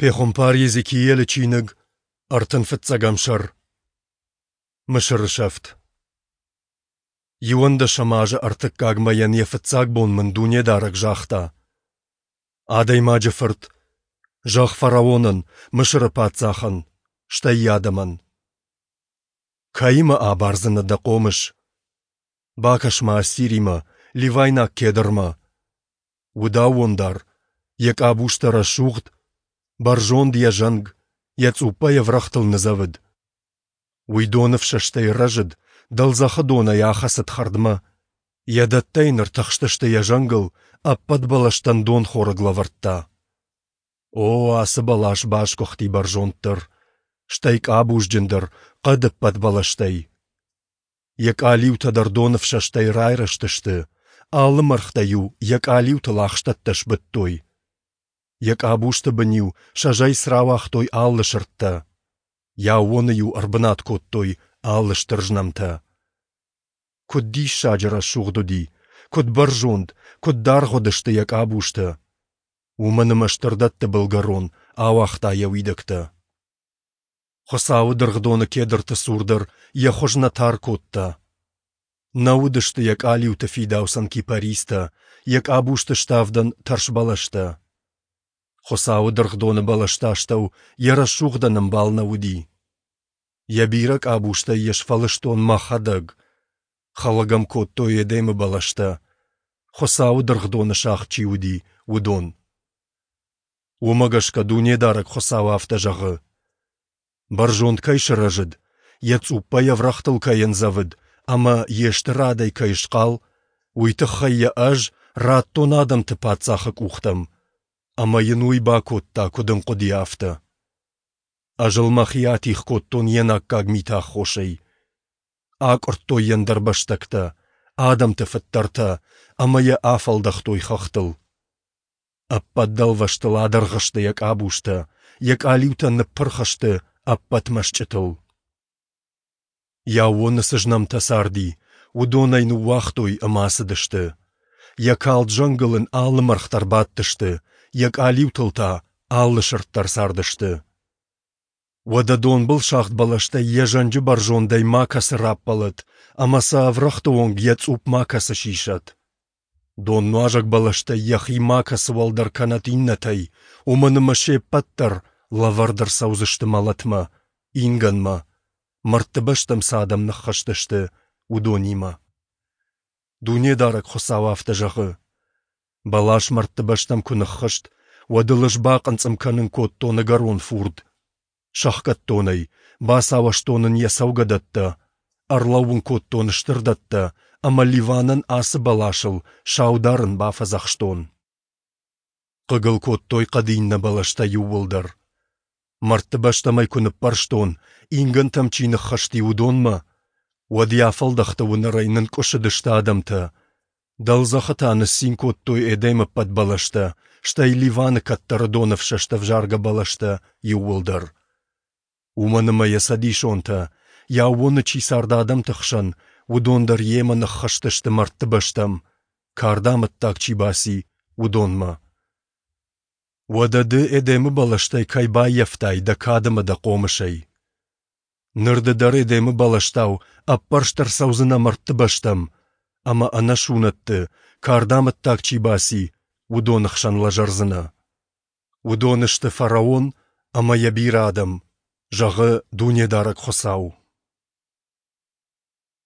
Пехуымпар Йезекиелы чиныг, ӕртын фыццӕгӕм сӕр. Мысыры сӕфт. Иуӕндӕсӕм азы ӕртыккаг мӕйӕн йӕ фыццаг бон мын Дунедарӕг загъта: Адӕймаджы фырт, зӕгъ фараонӕн, Мысыры паддзахӕн, стӕй йӕ адӕмӕн: Кӕимӕ абардзынӕ дӕ хъомыс? Бакӕс-ма Ассиримӕ, ливайнаг кедрмӕ. Уыд аууондар, йӕ къабузтӕ рӕсугъд, бӕрзонд йӕ зӕнг, йӕ цъуппӕй ӕврӕгътыл ныдзӕвыд. Уый доны фсӕстӕй рӕзыд, дӕлдзӕхы донӕй ахӕцыд хӕрдмӕ. Йӕ дӕттӕ йын ӕртыхстысты йӕ зӕнгыл, ӕппӕт бӕлӕстӕн донхорыг лӕвӕрдта. О, ацы бӕлас басгуыхти бӕрзонддӕр, стӕй къабузджындӕр хъӕд ӕппӕт бӕлӕстӕй. Йӕ къалиутӕ дӕр доны фсӕстӕй райрӕзтысты, алы мӕргътӕ-иу йӕ къалиутыл ахстӕттӕ сбыдтой. Йӕ къабузты бын-иу сӕ зӕйц рауагътой алы сырдтӕ. Йӕ аууоны-иу ӕрбынат кодтой алы стыр знӕмтӕ. Куыд диссаджы рӕсугъд уыди, куыд бӕрзонд, куыд даргъ уыдысты йӕ къабузтӕ! Уымӕн ӕмӕ стыр дӕтты былгӕрон ауагъта йӕ уидӕгтӕ. Хуыцауы дыргъдоны кедрты цур дӕр йӕ хуыз нӕ тар кодта. Нӕ уыдысты йӕ къалиуты фидауцӕн кипаристӕ, йӕ къабузты ставдӕн тӕрсбӕлӕстӕ. Хуыцауы дыргъдоны бӕлӕсты астӕу йӕ рӕсугъдӕн ӕмбал нӕ уыди. Йӕ бирӕ къабузтӕй йӕ сфӕлыстон мӕхӕдӕг. Хӕлӕг ӕм кодтой Эдемы бӕлӕстӕ, Хуыцауы дыргъдоны сагъд чи уыди, уыдон. Уымӕ гӕсгӕ Дунедарӕг Хуыцау афтӕ зӕгъы: Бӕрзонд кӕй сырӕзыд, йӕ цъуппӕй ӕврӕгътыл кӕй ӕндзӕвыд ӕмӕ йе стырадӕй кӕй схъал, уый тыххӕй йӕ Ӕз радтон адӕмты паддзахы къухтӕм, ӕмӕ йын уый бакодта, куыд ын хъуыди, афтӕ. Ӕз ыл мӕхи атигъ кодтон йе наккаг миты аххосӕй. Акъуырдтой йе ндӕрбӕстӕгтӕ, адӕмты фыддӕртӕ, ӕмӕ йӕ афӕлдӕхтой хӕхтыл. Ӕппӕт дӕлвӕзтыл адӕргъ сты йӕ къабузтӕ, йӕ къалиутӕ ныппырх сты ӕппӕт мӕсчъытыл. Йӕ аууоны цы знӕмтӕ царди, уыдон ӕй ныууагътой ӕмӕ ацыдысты. Йӕ калд зӕнгыл ын алы мӕргътӕ рбадтысты, йӕ къалиутыл та алы сырдтӕ ӕрцардысты. Уӕдӕ донбыл сагъд бӕлӕстӕй йӕ зӕнджы бӕрзондӕй макӕцы раппӕлӕд ӕмӕ сӕ ӕврӕгъты онг йӕ цъупп макӕцы сисӕд. Доннуазӕг бӕлӕстӕй йӕхи макӕцы уӕлдӕр кӕнӕд иннӕтӕй, уымӕн ӕмӕ се ппӕт дӕр лӕвӕрд ӕрцӕудзысты мӕлӕтмӕ, ингӕнмӕ, мӕрдты бӕстӕм цы адӕм ныххызтысты, уыдонимӕ. Дунедарӕг Хуыцау афтӕ зӕгъы: Бӕлас мӕрдты бӕстӕм куы ныххызт, уӕд ыл ӕз бахъынцъым кӕнын кодтон ӕгӕрон фурд. Сӕхгӕдтон ӕй, бацауӕзтон ын йӕ цӕугӕдӕттӕ, ӕрлӕууын кодтон стыр дӕттӕ ӕмӕ Ливанӕн ацы бӕласыл сау дарын бафӕдзӕхстон. Хъыг ыл кодтой хъӕды иннӕ бӕлӕстӕ иууылдӕр. Мӕрдты бӕстӕм ӕй куы ныппӕрстон, ингӕнтӕм чи ныххызти, уыдонмӕ, уӕд йӕ афӕлдӕхты уынӕрӕй нынкъуысыдысты адӕмтӕ. Дӕлдзӕхы та ныццин кодтой Эдемы ӕппӕт бӕлӕстӕ, стӕй Ливаны кӕддӕры донӕфсӕст ӕвзаргӕ бӕлӕстӕ иууылдӕр. Уымӕн ӕмӕ йӕ цӕдисонтӕ, йӕ аууоны чи цард адӕмты хсӕн, уыдон дӕр йемӕ ныххызтысты мӕрдты бӕстӕм, кардамӕттаг чи баци, уыдонмӕ. Уӕдӕ ды Эдемы бӕлӕстӕй кӕй баййӕфтай дӕ кад ӕмӕ дӕ хъомысӕй? Ныр ды дӕр Эдемы бӕлӕстау ӕппӕрст ӕрцӕудзынӕ мӕрдты бӕстӕм, ӕмӕ ӕнӕсунӕтты, кардамӕттаг чи баци, уыдоны хсӕн лӕзӕрдзынӕ. Уыдон сты фараон ӕмӕ йӕ бирӕ адӕм, зӕгъы Дунедарӕг Хуыцау.